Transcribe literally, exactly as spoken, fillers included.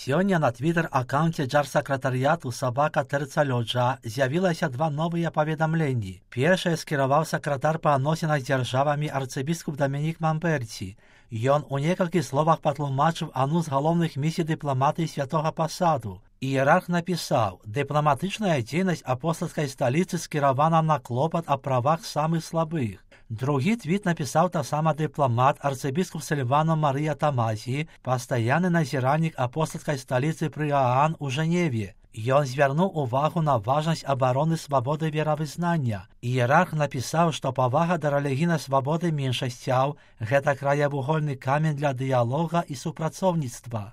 Сёння на твиттер-аккаунте джар-сакратарыяту «Сабака Тэрцалёджа» з'явілася два новыя паведамленні. Першае скіраваў сакратар па адносінах з дзяржавамі арцыбіскуп Дамінік Мамберці. Ён у некалькіх словах патлумачыў адну з галоўных місій дыпламатыі святога пасаду. Іерарх напісаў: «Дыпламатычная дзейнасць апостальскай сталіцы скіравана на клопат о правах самых слабых». Другі твіт напісаў таксама дыпламат арцыбіскуп Сільвано Марыя Тамазі, пастаянны назіральнік апостальскай сталіцы пры Аан у Жэневе. Ён звярнуў увагу на важнасць абароны свабоды веравызнання. Іерарх напісаў, што павага да рэлігійнай свабоды меншасцяў – гэта краявугольны камень для дыялога і супрацоўніцтва.